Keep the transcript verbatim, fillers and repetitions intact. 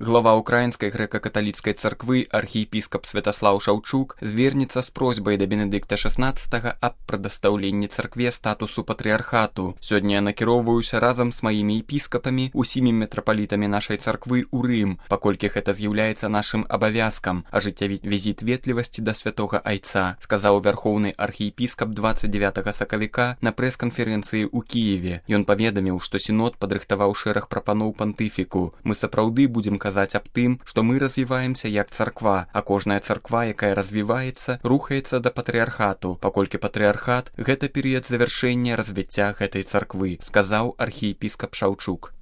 Глава Украінскай грэка-каталіцкай царквы архіепіскап Святаслаў Шаўчук звернецца з просьбай да Бенедыкта шаснаццатага аб прадастаўленні царкве статусу патрыархату. Сёння я накіроўваюся разам з маімі епіскапамі, усімі мітрапалітамі нашай царквы ў Рым, паколькі гэта з'яўляецца нашым абавязкам ажыццявіць візіт ветлівасці да святога айца, сказаў вярхоўны архіепіскап дваццаць дзевятага сакавіка на прэс-канферэнцыі ў Кіеве. Ён паведаміў, што сінод падрыхтаваў шэраг прапаноў пантыфіку. Мы сапраўды будзем казаць аб тым, што мы развіваемся як царква, а кожная царква, якая развіваецца, рухаецца да патрыархату, паколькі патрыархат – гэта перыяд завяршэння развіцця гэтай царквы, сказаў архіепіскап Шаўчук.